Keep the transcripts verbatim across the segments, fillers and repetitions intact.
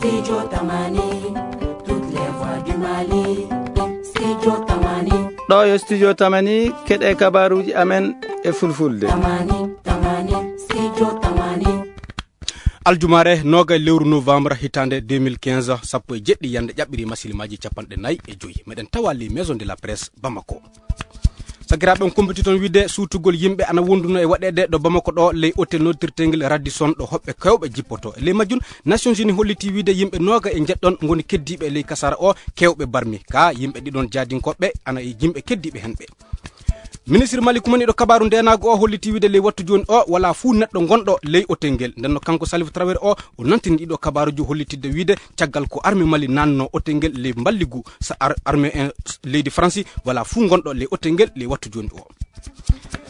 Studio Tamani, toutes les voix du Mali. Studio Tamani. Ɗo yo Studio Tamani, keɗe kabaruji amen e fulfulde. Tamani, Tamani, Studio Tamani. Aljumaare noga lewru novembre hitande deux mille quinze, sappo e jeɗɗi yande ƴaɓɓiri masilmaji capanɗe nayi e joyi. Meɗen tawa les maisons de la presse Bamako. Sakiraaɓe, on kumpiti toon wiide suutugol yimɓe ana wonduno e waɗeede ɗo Bamako ɗo, ley hôtel noddirteengel Radisson, ɗo hoɓɓe kewɓe jippoto. E ley majjum, Nations Unies holliti wiide yimɓe nooga e njeɗɗon ngoni keddiiɓe e ley kasaara o, kewɓe barmi. Ka yimɓe ɗiɗon jaadinkooɓe ana e yimɓe keddiiɓe hen ɓe. Ministre Mali kumaniiɗo kabaaru ndeenaagu o holliti wiide ley wattu jooni o, wala fuu neɗɗo ngonɗo ley hôtel ngel. Nden no kanko Salif Traoré o, o nantini ɗiɗo kabaaruji hollitidde wiide caggal ko armée Mali nanno hôtel ngel ley mballigu sa ar-, armée en leydi Faransi, wala fuu ngonɗo ley hôtel ngel ley wattu jooni o.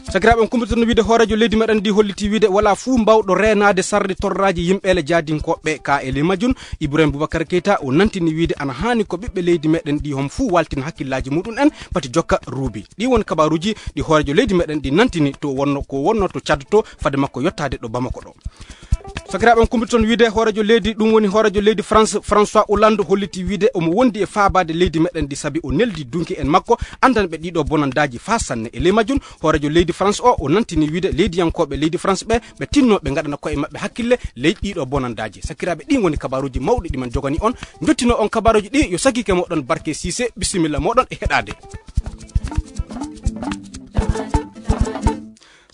Sakiraaɓe, on kumpitono wiide hooreejo leydi meɗen ndi holliti wiide wala fuu mbawɗo reenaade sarde torraaji yimɓeele jaadinkooɓe ka e ley majjum. Ibrahim Boubacar Keita o nantini wiide ana haani ko ɓiɓɓe leydi meɗen ndi hon fuu waltina hakkillaaji muɗum en pati jokka ruubi. Ɗi woni kabaaruji ɗi hooreejo leydi meɗen ndi nantini to wonno, ko wonno to Tchad to fade makko yottaade ɗo Bamako ɗo. Sakiraaɓe, on kumbiti toon wiide hooreejo leydi, ɗum woni hooreejo leydi France, François Hollande, holliti wiide omo wondi e faabaade leydi meɗen ndi sabi o neldi dunki en makko anndanɓe ɗiɗo bonandaaji faa sanne. E ley majjum, hooreejo leydi France o, o nantini wiide leydiyankooɓe leydi France ɓe, ɓe tinno ɓe ngaɗana koye maɓɓe hakkille ley ɗiɗo bonandaaji. Sakiraaɓe, ɗin woni kabaaruji mawɗi ɗi men jogani on. Njottino on kabaaruji ɗi, yo sakiike moɗon Barke Cissé, bisimilla moɗon e heɗaade.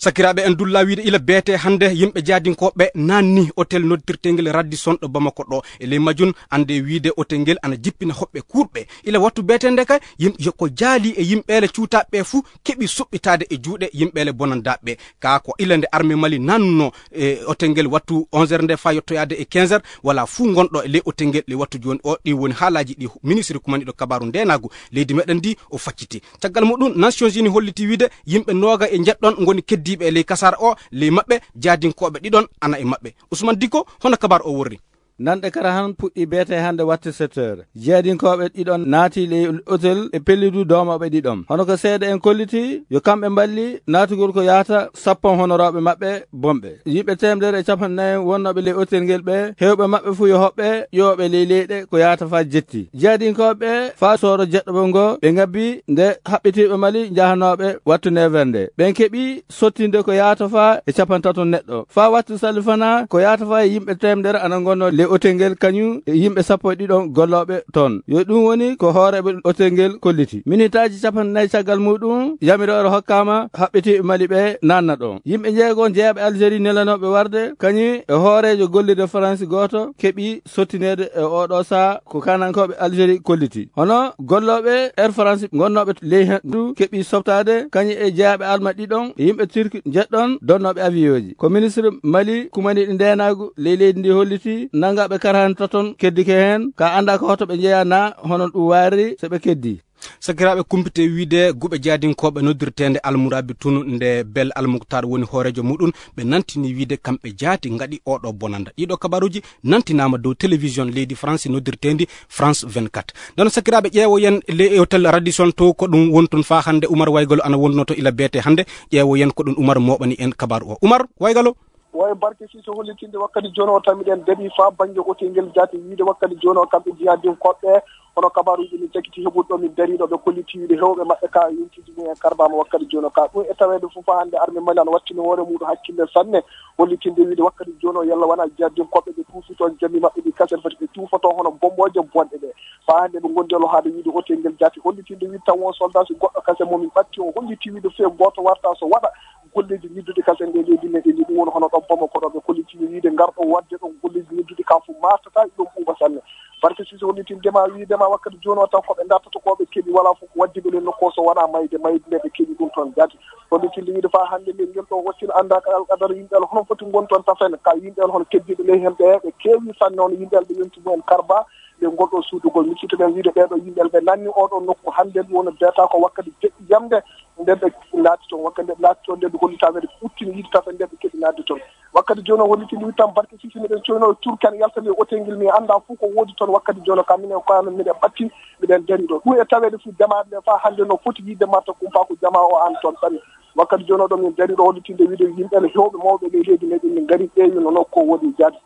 Sakiraaɓe, en dulla wiide ila beete hannde yimɓe jaadinkooɓe naanni hôtel noddirteengel Radisson ɗo Bamako ɗo. E ley majjum, annde wiide hôtel ngel ana jippina hoɓɓe kuurɓe. Ila wattu beete nde kay, yim-, yo ko jaali e yimɓeele cuutaaɓe fuu keɓi suɓɓitaade e juuɗe yimɓeele bonandaaɓe. Ka ko ila nde armée Mali naannuno e hôtel ngel wattu onze heures nde faa yottoyaade e quinze heures, wala fuu ngonɗo e ley hôtel ngel ley wattu jooni o. Ɗi woni haalaaji ɗi ministre kumaniiɗo kabaaru ndeenaagu leydi meɗen ndi o facciti. Caggal muɗum, Nations Unies holliti wiide yimɓe nooga e njeɗɗon ngoni keddiiɓe e ley kasaara o, ley maɓɓe jaadinkooɓe ɗiɗon ana e maɓɓe. Ousmane Dicko, hono kabaaru o worri? Nanɗe kara han puɗɗi beete hannde wattu sept heures. Jeedinkooɓe ɗiɗon naati ley hôtel e pellidu doomooɓe ɗiɗon. Hono ko seeɗa en kolliti, yo kamɓe mballi naatugol ko yaata sappo honorooɓe maɓɓe bonɓe. Yimɓe teemedere e capanɗe nayi wonnooɓe ley hôtel ngel ɓe, heewɓe maɓɓe fuu yo hoɓɓe ƴooɓe ley leyɗe ko yaata faa jetti. Jeedinkooɓe faa sooro jeɗɗo ngo ɓe ngabbi nde haɓɓitiiɓe Mali njahanooɓe wattu neuf heures nde. Ɓen keɓi sottinde ko yaata faa e capantato neɗɗo. Faa wattu salfana ko yaata faa e yimɓe teemedere ana ngonnoo ley hôtel ngel kañum e yimɓe sappo e ɗiɗon gollooɓe toon. Yo ɗum woni ko hooreeɓe hôtel ngel kolliti. Minitaaji capanɗe nayi caggal muɗum, yamiroore hokkaama haɓɓitiiɓe Mali ɓe naanna ɗon. Yimɓe njeegon jeyaaɓe Algérie nelanooɓe warde, kañum e hooreejo gollirde Faransi gooto keɓi sottineede e oo ɗoo sahaa ko kaanankooɓe Algérie kolliti. Hono gollooɓe Air France ngonnooɓe ley heen du keɓi softaade, kañum e jeyaaɓe Alma ɗiɗon e yimɓe Turki njeɗɗon donnooɓe avion ji. Ko ministre Mali kumaniiɗo ndeenaagu ley leydi ndi holliti, nanngaaɓe karhane taton keddike heen, ka anndaa ko hoto ɓe njeyaa naa hono ɗum wayriri so ɓe keddii. Sakiraaɓe, kumpite wiide guɓe jaadinkooɓe noddirteende Almurabi tun nde Bel Almuktar woni hooreejo muɗum, ɓe nantini wiide kamɓe jaati ngaɗi oo ɗoo bonanda. Ɗiɗo kabaruuji nantinaama dow télévision leydi France noddirteendi France vingt-quatre. Nden sakiraaɓe, ƴeewoyen le hôtel Radisson to ko ɗum woni toon faa hannde. Umar Waygolo ana wonduno to ila beete hannde. Ƴeewoyen ko ɗum Umar mooɓani en kabaru o. Umar Waygolo. Woy Barke Sise hollitinde wakkati jooni o tan miɗen darii faa bannge hôtel ngel jaati wiide wakkati jooni o kamɓe jihaadinkooɓe. Hono kabaaruuji min cakiti heɓude ɗo min darii ɗo ɓe kolliti wiide heewɓe maɓɓe ka yontii ɗum en karbaama wakkati jooni o ka. Ɗum e taweede fof hannde armée Mali ana wattini hoore muɗum hakkille sanne, hollitinde wiide wakkati jooni o yalla wonaa jihaadinkooɓe ɓe tuufi toon jamii maɓɓe ɗi kasen foti ɓe tuufa toon hono bommooje bonɗe ɗe. Faa hannde ɓe ngondi e lohaade wiide hôtel ngel jaati, hollitinde wiide tan won soldat si goɗɗo kasen mo min ɓatti o holliti wiide fee gooto warta so waɗa golleeji ñidduɗi kasen ɗe leydi meɗen ndi ɗum woni hono ɗon Bamako ɗo ɓe kolliti wiide ngarɗo waɗde ɗon golleeji ñidduɗi ka fof martata ɗum ɓuuɓa sanne. Barke Sise hollitinde ma wiide ma wakkati jooni o tan ko ɓe dartata ko ɓe keɓi wala fof ko waddi ɓe len nokku o so wonaa mayde, mayde nde ɓe keɓi ɗum toon jaati. Hollitinde wiide faa hannde nde ngel ɗo wattino anndaaka alqadara yimɓe ala hono foti ngon toon tafen ka yimɓe ala hono keddiiɓe ley hemɓe ɓe keewi sanne hono yimɓe ala ɓe yonti mumen karba ɓe ngol ɗo suudugol. Miccito ɓen wiide ɓee ɗo yimɓe ala ɓe nanni oo ɗoo nokku hannde ɗum woni beeta ko wakkati jeɗɗi yamde nde ɓe naati toon. Wakkati nde ɓe naati toon nde ɓe hollitaama ɓe uttini yiide tafen nde ɓe keɓi naatde toon. Wakkati jooni o hollitini wiide tan Barke Sise miɗen coyno e Turki ana yalta nde hôtel ngel mi anndaa fof ko woodi toon. Wakkati jooni o kam minen ko amen miɗen ɓatti miɗen darii ɗo. Ɗum e taweede fof jamaaɗe ɗe faa hannde no foti yiide marta kumpa ko jamaa o an toon ɓari. Wakkati jooni o ɗo min darii ɗo hollitinde wiide yimɓe ne heewɓe mawɓe ley leydi meɗen min ngarii ƴeewi no nokku o woodi jaati.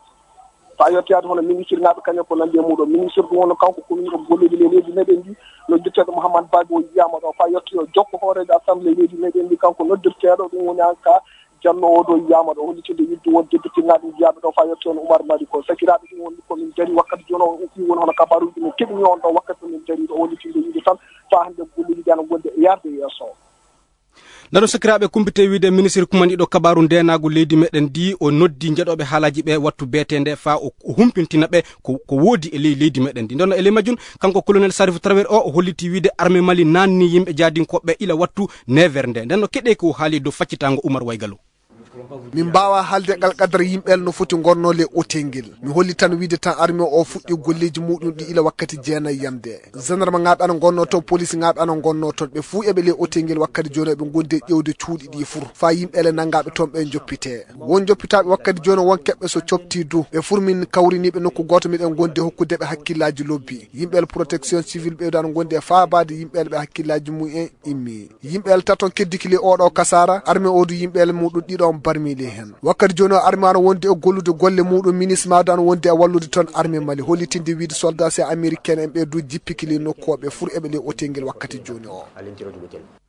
Faa yettoyaade hono ministirŋaaɓe kañum ko nanndi e muuɗum. Ministir ɗum woni kanko ko woni ko golleeji ley leydi meɗen ndi, noddirteeɗo Mouhammad Bago yiyaama ɗo. Faa yettoyo jokko hooreejo assemblée leydi meɗen ndi, kanko noddirteeɗo ɗum woni an ka Jallo o ɗo yiyaama ɗo, hollitinde yidde won debbitinaaɗe jiyaaɓe ɗo faa yettoyo no Umar Mali ko. Sakiraaɓe ɗum woni ko min dari wakkati jooni o, ɗum woni hono kabaaruuji min keɓini on ɗo wakkati min dari ɗo, hollitinde yidde tan faa hannde golleeji ɗi ana ngondi e yarde yeeso. Ndano sakiraaɓe kumpite wiide ministre kumaniɗo kabaaru ndeenaagu leydi meɗen ndi o noddi njeɗooɓe haalaaji ɓe wattu beeteende faa o, o humpintina ɓe ko, ko woodi e ley leydi meɗen ndi. Ndano e ley majjum kanko colonel Sarif Traoré o, o holliti wiide armée Mali naanni yimɓe jaadinkooɓe ila wattu neuf heures nde. Ndenno keɗee ko haali dow faccitaango Umar Waygalo. Min mbaawa haalde ngal qadara yimɓe no foti ngonnoo le otel ngel. Mi holli tan wiide tan armée o fuɗɗi golleeji muuɗum ɗi ila wakkati jeenayi yamde. Gendarme ŋaaɓe ana ngonnoo toon, police ŋaaɓe ana ngonnoo toon. Ɓe fuu eɓe le otel ngel wakkati jooni eɓe ngondi e ƴeewde cuuɗi ɗi fur. Faa yimɓe le nanngaaɓe toon ɓe njoppitee. Won njoppitaaɓe wakkati jooni won keɓɓe so coptii du. Ɓe fur min kawriniiɓe nokku gooto miɗen ngondi e hokkude ɓe hakkillaaji lobbi. Yimɓe le protection civile ɓe ana ngondi e faabaade yimɓe le ɓe hakkillaaji mum en immi. Yimɓe le taton keddiki le oɗo kasaara, armée o du yimɓe le muɗum ɗiɗo on barmi le hen. Wakkati jooni o armée ana wondi e gollude golle muɗum, ministre maado ana wondi e wallude toon armée Mali, hollitinde wiide soldat si américain en ɓe du jippiki le nokku o ɓe fur eɓe le otel ngel wakkati jooni o.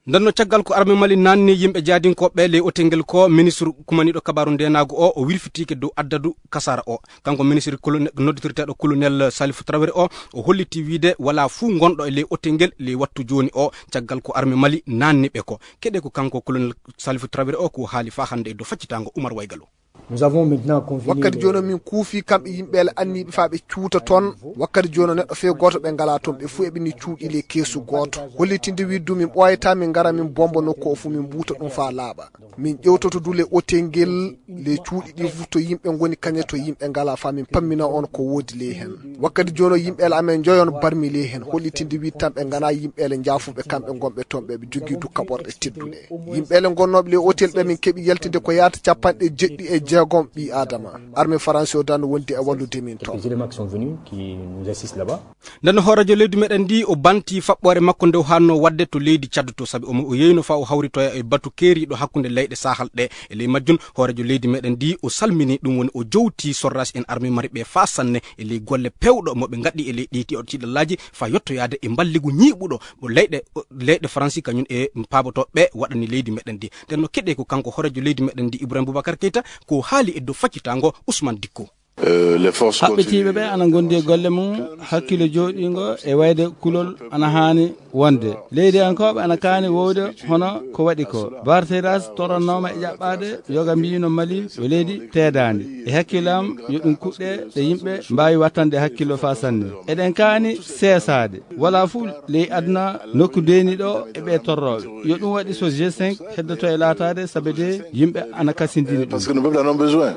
Ndenno caggal ko armée Mali naanni yimɓe jaadinkooɓe le otel ngel ko ministre kumaniɗo kabaaru ndeenaagu o, o wirfitiike dow addadu kasaara o. Kanko ministre colonel, nodditirteeɗo colonel Salif Traoré o, o holliti wiide walaa fuu ngonɗo e ley otel ngel ley wattu jooni o, caggal ko armée Mali naanni ɓe ko. Keɗee ko kanko colonel Salif Traoré o ko haali faa hannde e dow faccitaango Umar Waygalo. Nous avons maintenant convenu wakkati de jooni min kuufi kamɓe yimɓe le anniiɓe faa ɓe cuuta toon. Wakkati jooni neɗɗo fee gooto ɓe ngalaa toon, ɓe fuu eɓe ni cuuɗi le keesu gooto. Hollitinde wiide du min ɓooyata min ngara min bomba nokku o fuu min mbuuta ɗum faa laaɓa. Min ƴewtoto du le otel ngel, le cuuɗi ɗi fof to yimɓe ngoni, kañe to yimɓe ngalaa, faa min pammina on ko woodi ley heen. Wakkati jooni o yimɓe le amen njoyon barmi ley heen, hollitinde wiide tan ɓe nganaa yimɓe le njaafuɓe kamɓe ngonɓe toon, ɓe ɓe jogii du kaɓorɗe tedduɗe. Yimɓe le ngonnooɓe le otel ɓe min keɓi yaltinde ko yaata capanɗe jeɗɗi e jeegom ɓii Aadama. Armée Faransi o dan wondi e wallude min toon. Quelques éléments qui sont venus, qui nous assistent là-bas. Nden hooreejo leydi meɗen ndi o banti faɓɓoore makko nde o haanno waɗde to leydi Tchad to, sabi omo o yeyno faa o hawritoya e batu keeriiɗo hakkunde leyɗe Sahel ɗe. E ley majjum hooreejo leydi meɗen ndi o salmini, ɗum woni o jowti sorraasi en armée Mali ɓe faa sanne e ley golle pewɗo mo ɓe ngaɗi e ley ɗi tiiɗallaaji faa yottoyaade e mballigu ñiiɓuɗo mo leyɗe, leyɗe Faransi kañum e paabotooɓe waɗani leydi meɗen ndi. Nden no keɗee ko kanko hooreejo leydi meɗen ndi Ibrahim Boubacar Keita ko haali e dow faccitaango Ousmane Dicko. Euh, les forces haɓɓitiiɓe ɓe continuent ana ngondi e golle mum, hakkille jooɗiingo e wayde kulol ana haani wonde. Leydiyankooɓe ana kaani wowde hono ko waɗi ko. Barthéras torrannooma e ƴaɓɓaade yoga mbiino Mali yo leydi teedaandi. E hakkille am yo ɗum kuɗɗe ɗe yimɓe mbaawi wattande hakkillo faa sanne. Eɗen kaani seesaade. Walaa fuu ley aduna nokku deeni ɗo e ɓe torrooɓe. Yo ɗum waɗi so G cinq heddoto e laataade, sabe de yimɓe ana kasindini ɗum. Parce que nos peuples en ont besoin.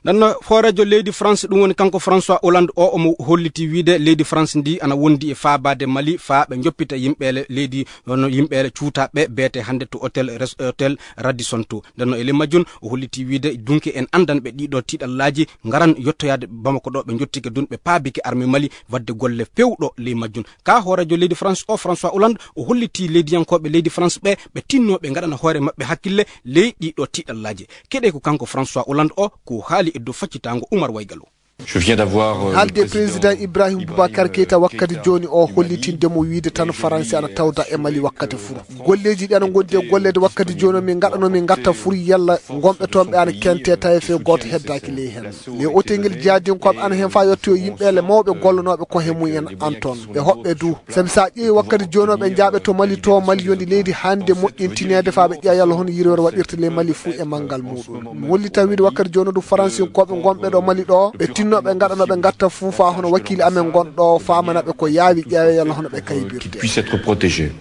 Ndenno hooreejo leydi France, ɗum woni kanko François Hollande o, omo holliti wiide leydi France ndi ana wondi e faabaade Mali faa ɓe njoppita yimɓe le-, leydi, hono yimɓe le cuutaaɓe beete hannde to hôtel res-, hôtel Radisson to. Ndenno e ley majjum o holliti wiide dunke en anndan ɓe ɗiɗo tiiɗallaaji ngaran yottoyaade Bamako ɗo ɓe njottike dun ɓe paabike armée Mali waɗde golle pewɗo ley majjum. Ka hooreejo leydi France o, François Hollande, o hollitii leydiyankooɓe leydi France ɓe, ɓe tinnoo ɓe ngaɗana hoore maɓɓe hakkille ley ɗii ɗoo tiiɗallaaji. Keɗee ko kanko François Hollande o, ko haali e dow faccitaango Umar Waygalo. Je viens d'avoir, euh, haalde le président président Ibrahim Boubacar Keita wakkati jooni o hollitinde mo wiide tan Faransi ana tawda e Mali wakkati fuu. Golleeji ɗi ana ngondi e golleede wakkati jooni o, min ngaɗano min ngatta fuu yalla ngonɓe toon ɓe ana kente tawi fee gooto heddaaki ley heen. Le hôtel ngel jaadinkooɓe ana heen faa yettoyo yimɓe le mawɓe gollanooɓe ko he mum en an toon. Ɓe hoɓɓe du. Sabi so a ƴeewi wakkati jooni o ɓe njaaɓe to Mali to, Mali yondi leydi hannde moƴƴintineede faa ɓe ƴeewa yalla hono yirwere waɗirta ley Mali fuu e manngal muuɗum. Mi holli tan wiide wakkati jooni o du Faransinkooɓe ngonɓe ɗo Mali ɗo, ɓe tinno ɓe ngaɗano ɓe ngatta fuu faa hono wakiili amen ngonɗo faamana ɓe ko yaawi ƴeewa yalla hono ɓe kaybirte. Puisse être protégé.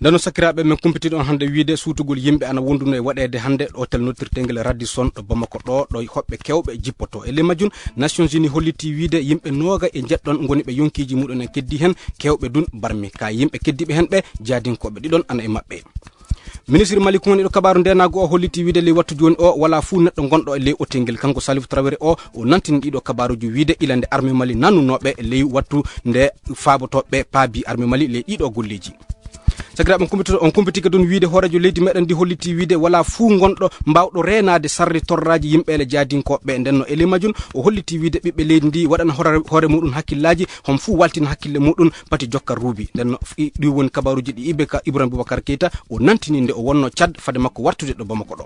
Ndeno sakiraaɓe men kumpitiiɗo on hannde wiide suutugol yimɓe ana wonduno e waɗeede hannde ɗo hôtel noddirteengel Radisson ɗo Bamako ɗo, ɗo hoɓɓe kewɓe jippoto. E ley majjum, Nations Unies hollitii wiide yimɓe nooga e njeɗɗon ngoni ɓe yonkiiji muɗum en keddi heen, kewɓe dun barmi. Ka yimɓe keddiiɓe heen ɓe, jaadinkooɓe ɗiɗon ana e maɓɓe. Ministre Mali kumaniiɗo kabaaru ndeenaagu o hollitii wiide ley wattu jooni o, walaa fuu neɗɗo ngonɗo e ley hôtel ngel. Kanko Salif Traoré o, o nantini ɗiɗo kabaaruuji wiide ila nde armée Mali nannunooɓe ley wattu nde faabotooɓe paabi armée Mali ley ɗiɗo golleeji. Sakiraaɓe, on kumpiti on kumpiti kadi on wiide hooreejo leydi meɗen ndi hollitii wiide walaa fuu ngonɗo mbaawɗo reenaade sarri torraaji yimɓeele jaadinkooɓe. Nden no e ley majjum o hollitii wiide ɓiɓɓe leydi ndi waɗana hoore muɗum hakkillaaji, hom fuu waltina hakkille muɗum pati jokka ruubi. Nden no ɗi woni kabaruuji ɗi ibe ka Ibrahim Boubacar Keita o nantini nde o wonno Cad fade makko wartude ɗo Bamako ɗo.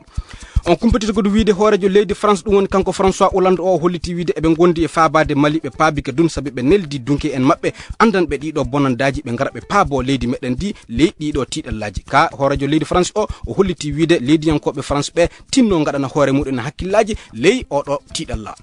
On kumpititagol wiide hooreejo leydi France, ɗum woni kanko François Hollande o, hollitii wiide eɓe ngondi e faabaade Mali, ɓe paabike dum sabi ɓe neldi dunke en maɓɓe anndanɓe ɗiɗo bonandaaji, ɓe ngara ɓe paabo leydi meɗen ndi ley ɗiɗo tiiɗallaaji. Ka hooreejo leydi France o, o hollitii wiide leydiyankooɓe France ɓe tinno ngaɗana hoore muɗum hakkillaaji ley oɗo tiiɗalla.